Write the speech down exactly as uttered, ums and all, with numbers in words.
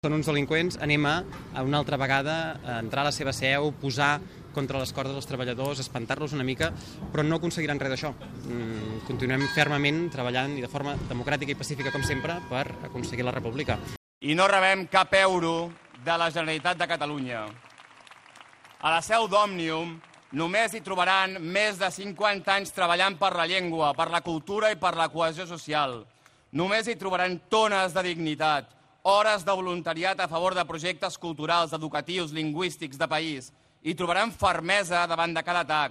Són uns delinqüents, anem a, una altra vegada, a entrar a la seva seu, posar contra les cordes els treballadors, espantar-los una mica, però no aconseguiran res d'això. Continuem fermament treballant i de forma democràtica i pacífica, com sempre, per aconseguir la república. I no rebem cap euro de la Generalitat de Catalunya. A la seu d'Òmnium només hi trobaran més de cinquanta anys treballant per la llengua, per la cultura i per la cohesió social. Només hi trobaran tones de dignitat, hores de voluntariat a favor de projectes culturals, educatius, lingüístics, de país. Hi trobaran fermesa davant de cada atac,